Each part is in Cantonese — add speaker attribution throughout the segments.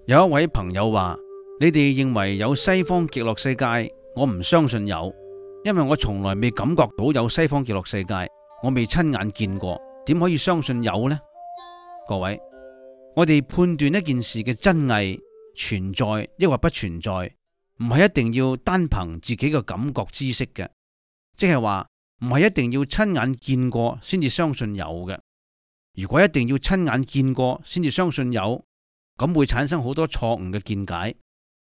Speaker 1: 有一位朋友話：你哋認為有西方極樂世界，我唔相信有，因為我從來未感覺到有西方極樂世界，我未親眼見過，點可以相信有呢？各位，我哋判斷一件事嘅真偽存在抑或不存在，唔係一定要單憑自己嘅感覺知識嘅，即係話唔係一定要親眼見過先至相信有嘅。如果一定要親眼見過先至相信有，咁會產生好多錯誤嘅見解。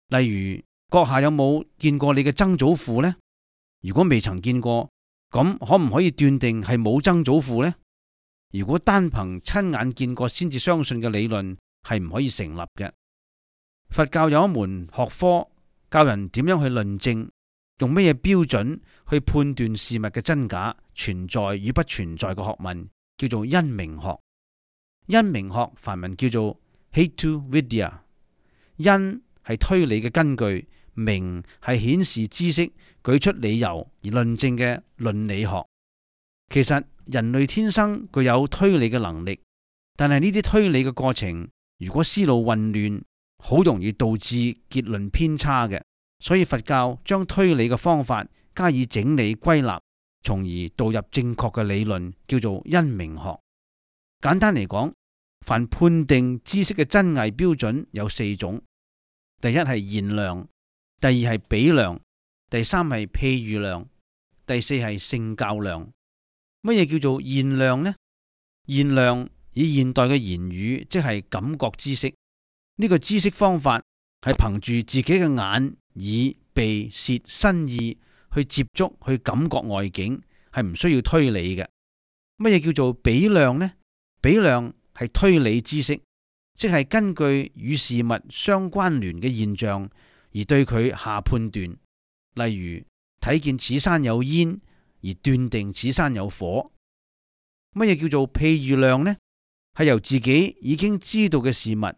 Speaker 1: 例如，閣下有冇見過你嘅曾祖父呢？如果未曾見過，咁可唔可以斷定係冇曾祖父呢？如果單憑親眼見過先至相信嘅理論係唔可以成立嘅。佛教有一門學科教人點樣去論證，用咩嘢標準去判斷事物嘅真假、存在與不存在嘅學問，叫做因明學。因明學梵文叫做Hetu Vidya， 因係推理嘅根據，明係顯示知識、舉出理由而論證嘅論理學。其實人類天生具有推理嘅能力，但係呢啲推理嘅過程，如果思路混亂，好容易導致結論偏差嘅。所以佛教將推理嘅方法加以整理歸納，從而導入正確嘅理論，叫做因明學。簡單嚟講，凡判定知識嘅真偽標準有四種：第一係現量，第二係比量，第三係譬喻量，第四係聖教量。乜嘢叫做現量呢？現量以現代嘅言語，即係感覺知識。呢個知識方法係憑住自己嘅眼、耳、鼻、舌、身意去接觸、去感覺外境，係唔需要推理嘅。乜嘢叫做比量呢？比量係推理知識，即係根據與事物相關聯嘅現象而對佢下判斷。例如睇見此山有煙而斷定此山有火。乜嘢叫做譬喻量呢？係由自己已經知道嘅事物，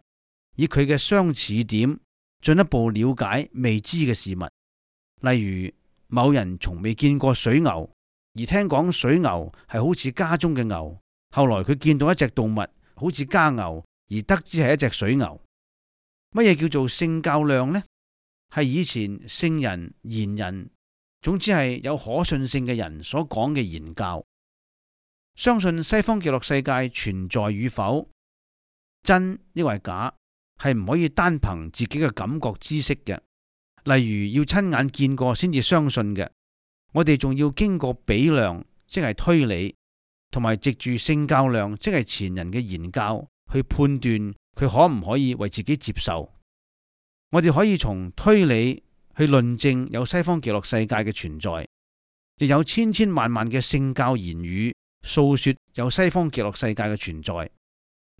Speaker 1: 以佢嘅相似點進一步了解未知嘅事物。例如某人從未見過水牛，而聽講水牛係好似家中嘅牛，後來佢見到一隻動物好似家牛，而得知係一隻水牛。乜嘢叫做聖教量呢？係以前聖人、賢人，總之係有可信性嘅人所講嘅言教。相信西方極樂世界存在與否，真抑或假，係唔可以單憑自己嘅感覺知識嘅。例如要親眼見過先至相信嘅，我哋仲要經過比量，即係推理，同埋藉住聖教量，即係前人嘅言教，去判斷佢可唔可以為自己接受。我哋可以從推理去論證有西方極樂世界嘅存在，亦有千千萬萬嘅聖教言語訴說有西方極樂世界嘅存在。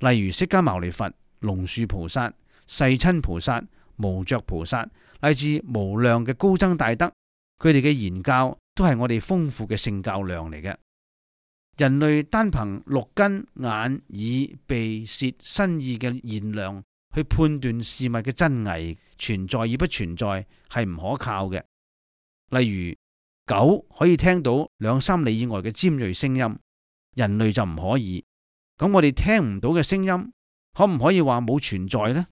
Speaker 1: 例如釋迦牟尼佛、龍樹菩薩、世親菩薩、無著菩薩，乃至無量嘅高僧大德，佢哋嘅言教都係我哋豐富嘅聖教量嚟嘅。人類單憑六根眼耳鼻舌身意嘅現量去判斷事物嘅真偽、存在與不存在，係唔可靠嘅。例如狗可以聽到2-3里以外嘅尖銳聲音，人類就唔可以。咁我哋聽唔到嘅聲音，可唔可以話冇存在呢？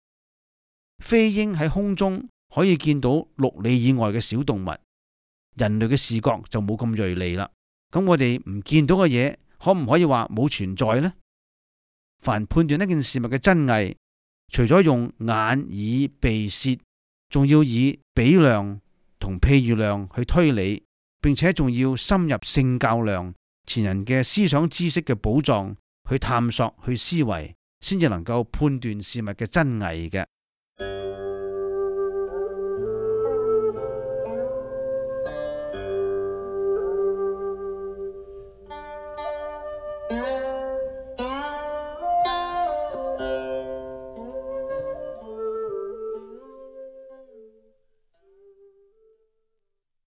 Speaker 1: 飛鷹喺空中可以見到6里以外嘅小動物，人類嘅視覺就冇咁銳利啦。咁我哋唔見到嘅嘢，可唔可以話冇存在呢？凡判斷一件事物嘅真偽，除咗用眼耳鼻舌，仲要以比量同譬喻量去推理，並且仲要深入聖教量前人嘅思想知識嘅寶藏去探索去思維，先至能夠判斷事物嘅真偽嘅。